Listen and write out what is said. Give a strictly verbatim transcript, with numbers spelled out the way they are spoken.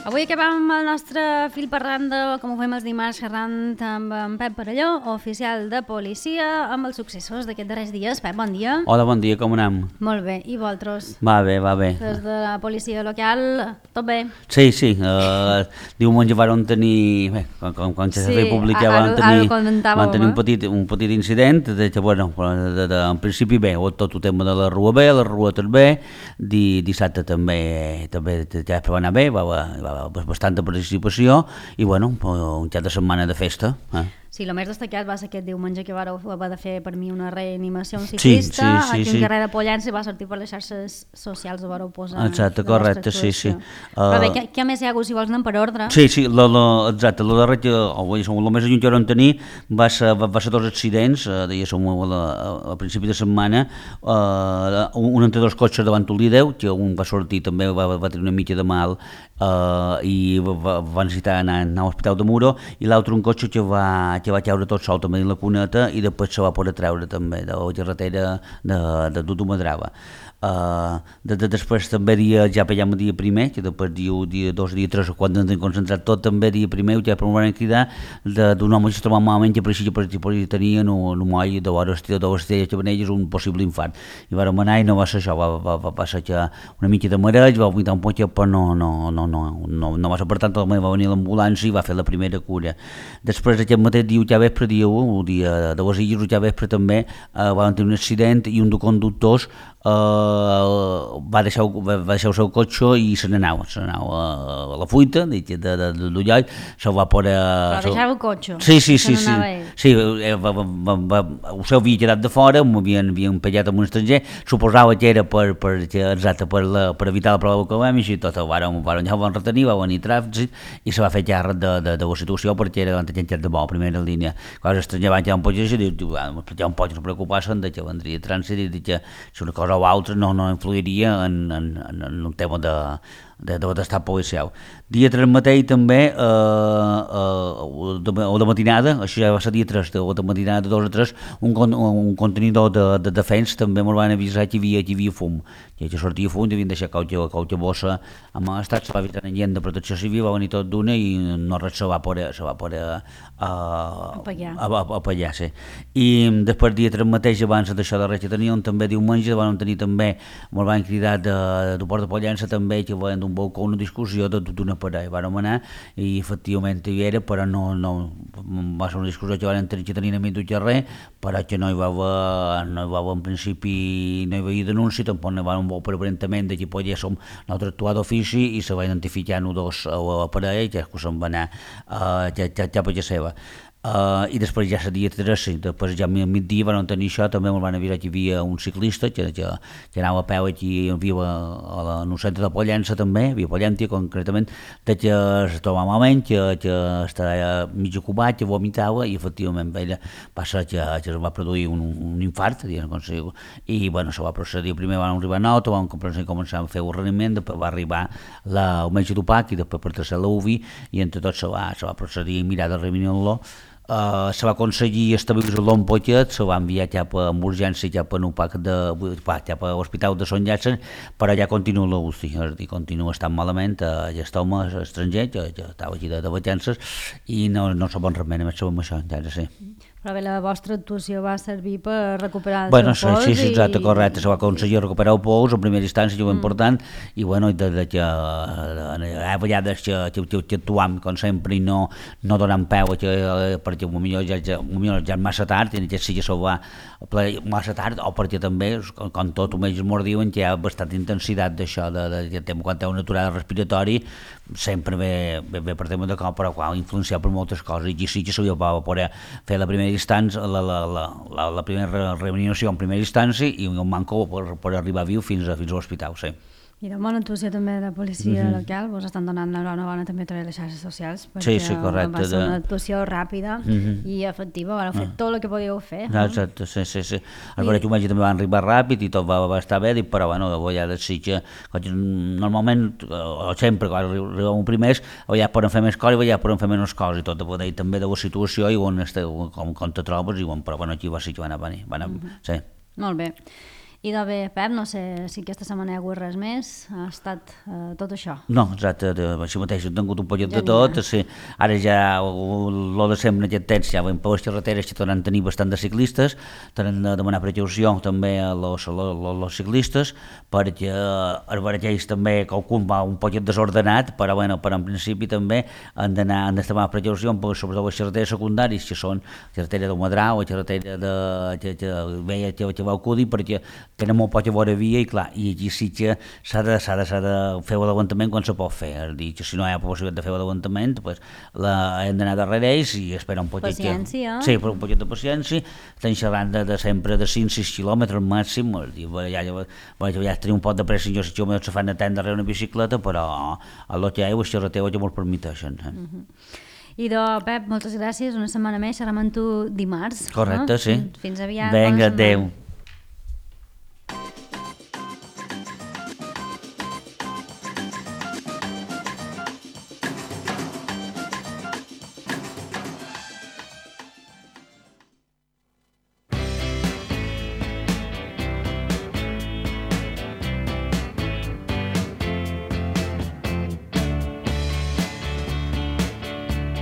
Avui acabem el nostre fil parlant de, com ho fem els dimarts, xerrant amb en Pep Parelló, oficial de policia, amb els successos d'aquests darrers dies. Pep, bon dia. Hola, bon dia, com anem? Molt bé, i vosaltres? Va bé, va bé. Des de la policia local, tot bé? Sí, sí, uh, diumenge van tenir, bé, quan, quan, quan sí, se publica van tenir, van tenir un, petit, un petit incident, de que, bueno, de, de, en principi bé, tot el tema de la Rua bé, la Rua també, di, dissabte també, també ja va anar bé, va, va, va bastanta participació i bueno, un cap de setmana de festa. Eh? Sí, el més destacat va ser aquest diumenge que vareu haver de fer per mi una reanimació a un ciclista, sí, sí, sí, aquí sí. al carrer de Pollença, i va sortir per les xarxes socials, ho vareu posar. Exacte, correcte, sí, sí. Però bé, què, què més hi ha hagut, si vols anem per ordre? Sí, sí, lo, lo, exacte, el darrer que, o el més lluny que vam tenir va ser, va, va ser dos accidents, eh, diguéssim, a, a principi de setmana, eh, un entre dos cotxes davant un líder, que un va sortir també, va, va tenir una mica de mal, eh, i va, va necessitar anar, anar a l'Hospital de Muro, i l'altre un cotxe que va que va caure tot sol també en la cuneta i després se va poder treure també de la carretera de, de Dutumadrava. Uh, de, de, després també dia, ja pegem el dia primer, que després dia, dia dos, dia tres, quan ens hem concentrat tot, també dia primer, ja per van cridar d'un home que es trobava malament, que per això per, per, tenia un, un moll de vores estrelles que veneix un possible infart. I vam anar i no va ser això, va, va, va passar una mica de mareig, va vomitar un poc, però no, no, no, no, no, no va ser, per tant, va venir l'ambulància i va fer la primera cura. Després aquest mateix dia, ja vespre, dia un, el dia de les Illes, ja vespre també, uh, van tenir un accident i un de conductors Uh, va, deixar, va deixar el seu cotxe i se n'anava, se n'anava a la fuita de, de, de, de l'ullall, se va poder... Però deixava el cotxe? Sí, sí, sí, sí, sí, va, va, va, va, el seu havia quedat de fora, m'havien empellat amb un estranger, suposava que era per, per, exacte, per, la, per evitar la prova econòmica i tot, el van, van, ja el van retenir, va venir tràfic i se va fer càrrec de, de, de la situació perquè era davant gent de bo, primera línia. Quan l'estranger va quedar un poc i diu, ja un poc no preocupar-se'n que vendria trànsit i que si una cosa o altre no, no influiria en, en, en un tema de, de, de l'estat policial. Dia tres mateix també, eh, eh, de, o de matinada, això ja va ser dia tres, o de matinada de dos a tres, un, un contenidor de, de defensa també ens van avisar que hi havia, que hi havia fum, que ja sortia fum, havien deixat qualque, qualque bossa amb l'estat, se va avisar gent de protecció civil, va venir tot d'una i no res se va poder, se va poder uh, apagar. apagar, sí. I després dia tres mateix, abans d'això de res que teníem, també diumenge, vam tenir també, ens van cridar de, de Port de Pollença també, que van d'un balcó una discussió de tota una parella, vam anar i efectivament hi era, però no, no va ser una discussió que van tenir que tenir a mig d'un carrer, però que no hi va haver, no hi va haver en principi, no hi va haver denúncia, tampoc no hi va haver un vol per aparentament de que poguéssim nosaltres actuar d'ofici i se va identificar un dos a la parella, que se'n va anar uh, ja, ja, ja per la seva. Uh, i després ja seria tres, després ja a migdia van tenir això, també ens van avisar que hi havia un ciclista que, que, que anava a peu aquí, viu a, a el centre de Pollença també, havia Pollentia concretament, de que es trobava malament, que, que estava mig ocupat, que vomitava i efectivament ella va ser que, que es va produir un, un infart, i bueno, se va procedir, primer van arribar a Nauta, van començar a fer un reniment, després va arribar la, el metge d'Upac i després per tercer l'U V I i entre tots se va, se va procedir a mirar de revenir-lo. Uh, se va aconseguir estabilitzar-lo un poquet, se va enviar cap a urgència, cap a UPAC de, cap a l'Hospital de Sant Llàtzer, però ja continua l'U C I, és a dir, continua estant malament, uh, ja està home estranger, ja, ja estava aquí de, de vacances i no, no sabem res més, només sabem això, ja no sé. Però bé, la vostra actuació va servir per recuperar el bueno, seu pols? Sí, sí, exacte, i... correcte, se va aconseguir recuperar el pols en primera instància, que és mm. important, i bueno, de, de que hi ha vegades que, que, que, que actuam, com sempre, i no, no donant peu, que, perquè potser ja, ja, ja és massa tard, i ja sí que se'l va massa tard, o perquè també, com tot, ells m'ho diuen, que hi ha bastanta intensitat d'això, de, de, de, de, quan té un aturada respiratori, sempre ve, ve, ve per tema de cop, però quan influenciat per moltes coses, i sí que se li va poder fer la primera instància, la, la, la, la, la primera reanimació en primera instància i un manco per, per arribar viu fins a, fins a l'hospital, sí. I de bona actuació també de la policia mm-hmm. local, vos estan donant l'enhorabona també a través de les xarxes socials, perquè sí, sí, correcte, va ser una actuació ràpida mm-hmm. i efectiva, vau fer ah. tot el que podíeu fer. No? Exacte, sí, sí, sí. El I... que també van arribar ràpid i tot va, va estar bé, però bueno, de vegades sí que normalment, o sempre, quan arribem primers, ja poden fer més coses i ja poden fer menys coses i tot, de també de la situació i on esteu, com, com te trobes, i on, però bueno, aquí va sí que van a venir, van a, mm-hmm. sí. Molt bé. I de bé, Pep, no sé si aquesta setmana hi ha hagut res més, ha estat eh, tot això. No, exacte, de, així mateix he tingut un pollet de Ja tot, sí. Ara ja el de sempre en aquest temps, ja veiem per les carreteres que tornen a tenir bastant de ciclistes, tenen de demanar precaució també a los, a los, a los ciclistes, perquè els barallers també qualcun va un pollet desordenat, però bueno, però en principi també han d'anar, han d'estar amb precaució, sobretot les carreteres secundàries, que són la carretera del Madrau, la carretera de, que, que, veia, que, que va acudir, perquè tenen molt poca vora via i clar, i aquí sí que s'ha de, s'ha de, s'ha de fer l'aguantament quan se pot fer, és a dir, que si no hi ha possibilitat de fer l'aguantament, pues, la, hem d'anar darrere ells i esperar un poquet. Paciència. Sí, però un poquet de paciència, estem xerrant de, de sempre de cinc sis quilòmetres màxim, és a dir, ja, ja, ja, ja tenim un pot de pressa, jo si jo se fan atendre darrere una bicicleta, però a lo que hi ha, les carreteres ja m'ho permeteixen. Eh? Uh-huh. Idò, Pep, moltes gràcies, una setmana més, xerrem amb tu dimarts. Correcte, no? sí. Fins aviat. Vinga, adeu.